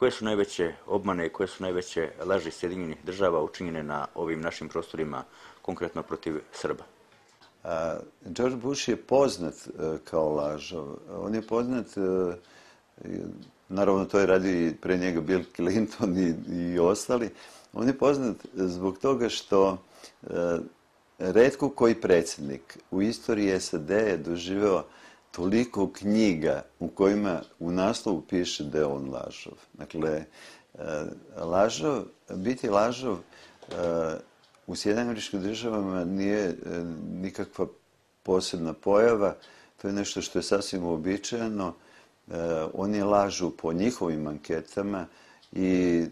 koje su najveće obmane i koje su najveće laži Sjedinjenih država učinjene na ovim našim prostorima, konkretno protiv Srba? George Bush je poznat kao lažov. On je poznat, naravno to je radio pre njega Bill Clinton i ostali, on je poznat zbog toga što retko koji predsjednik u istoriji SAD je doživeo toliko knjiga u kojima u naslovu piše da je on lažov. Dakle, biti lažov u Sjedinjenim Američkim Državama nije nikakva posebna pojava, to je nešto što je sasvim uobičajeno. Oni lažu po njihovim anketama i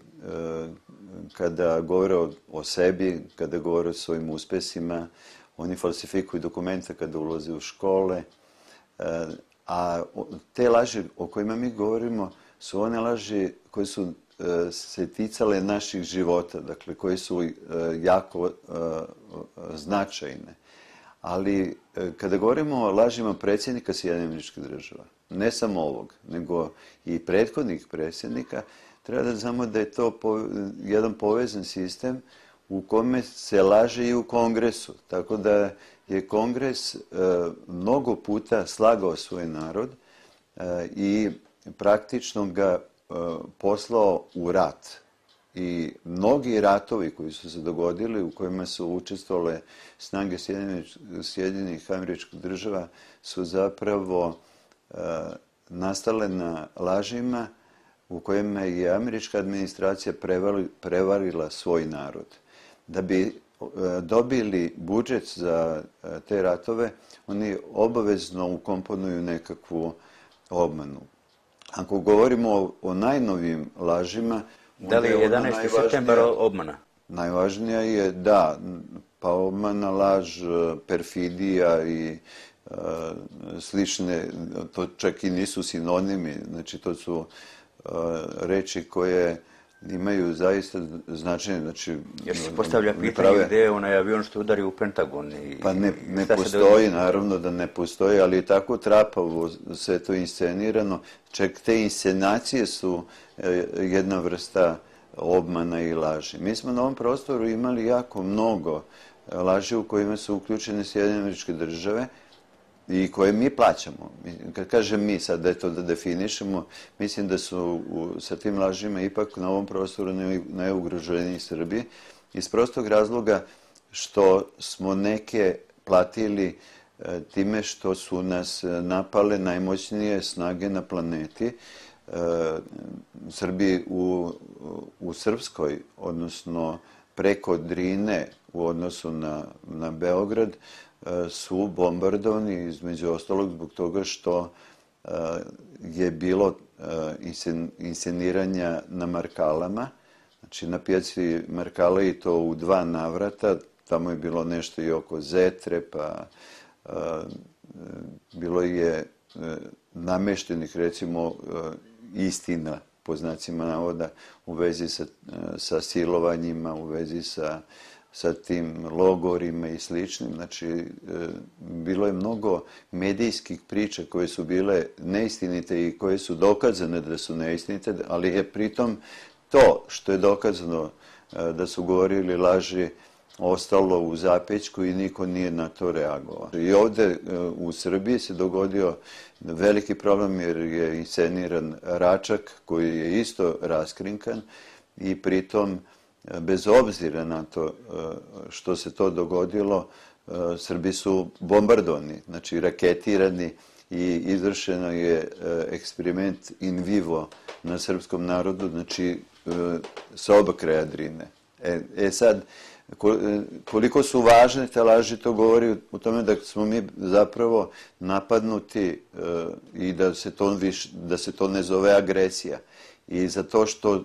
kada govore o sebi, kada govore o svojim uspesima, oni falsifikuju dokumenta kada ulaze u škole, a te laži o kojima mi govorimo su one laži koje su se ticale naših života, dakle koje su jako značajne. Ali kada govorimo o lažima predsjednika Sjedinjenih Američkih Država, ne samo ovog, nego i prethodnih predsjednika, treba da znamo da je to jedan povezan sistem u kome se laže i u Kongresu. Tako da je Kongres mnogo puta slagao svoj narod i praktično ga poslao u rat. I mnogi ratovi koji su se dogodili, u kojima su učestvovale snage Sjedinjenih Američkih Država, su zapravo nastale na lažima u kojima je američka administracija prevarila svoj narod. Da bi dobili budžet za te ratove, oni obavezno ukomponuju nekakvu obmanu. Ako govorimo o najnovijim lažima... Da li je 11. septembar obmana? Najvažnija je, da, pa obmana, laž, perfidija i slične, to čak i nisu sinonimi, znači to su reči koje imaju zaista značenje. Znači, jer se postavlja pitanje gdje je onaj avion što udari u Pentagon. Pa ne postoji, naravno da ne postoji, ali je tako trapavo sve to inscenirano. Čak te inscenacije su jedna vrsta obmana i laži. Mi smo na ovom prostoru imali jako mnogo laži u kojima su uključene Sjedinjene Američke Države i koje mi plaćamo. Kad kažem mi sad da je to da definišemo, mislim da su sa tim lažima ipak na ovom prostoru najugroženiji Srbi, iz prostog razloga što smo neke platili time što su nas napale najmoćnije snage na planeti. Srbi u Srpskoj, odnosno preko Drine u odnosu na Beograd, su bombardovani između ostalog zbog toga što je bilo insceniranja na Markalama, znači na pijaci Markala i to u 2 navrata, tamo je bilo nešto i oko Zetre, pa bilo je nameštenih recimo istina po znacima navoda u vezi sa silovanjima, u vezi sa tim logorima i sličnim. Znači, bilo je mnogo medijskih priča koje su bile neistinite i koje su dokazane da su neistinite, ali je pritom to što je dokazano da su govorili laži ostalo u zapećku i niko nije na to reagovao. I ovde u Srbiji se dogodio veliki problem jer je insceniran Račak koji je isto raskrinkan i pritom bez obzira na to što se to dogodilo, Srbi su bombardovani, znači raketirani i izvršeno je eksperiment in vivo na srpskom narodu, znači sa oba kraja Drine. Sad, koliko su važne te laži, to govori u tome da smo mi zapravo napadnuti i da se to ne zove agresija. I zato što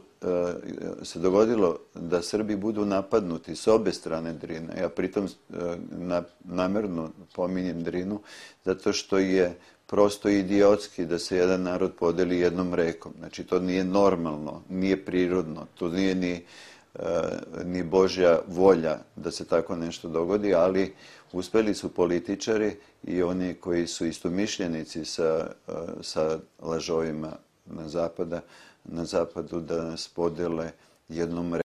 se dogodilo da Srbi budu napadnuti s obe strane Drine, ja pritom namerno pominjem Drinu, zato što je prosto idiotski da se jedan narod podeli jednom rekom. Znači, to nije normalno, nije prirodno, to nije ni Božja volja da se tako nešto dogodi, ali uspeli su političari i oni koji su istomišljenici sa lažovima na zapada na zapadu da nas podele jednom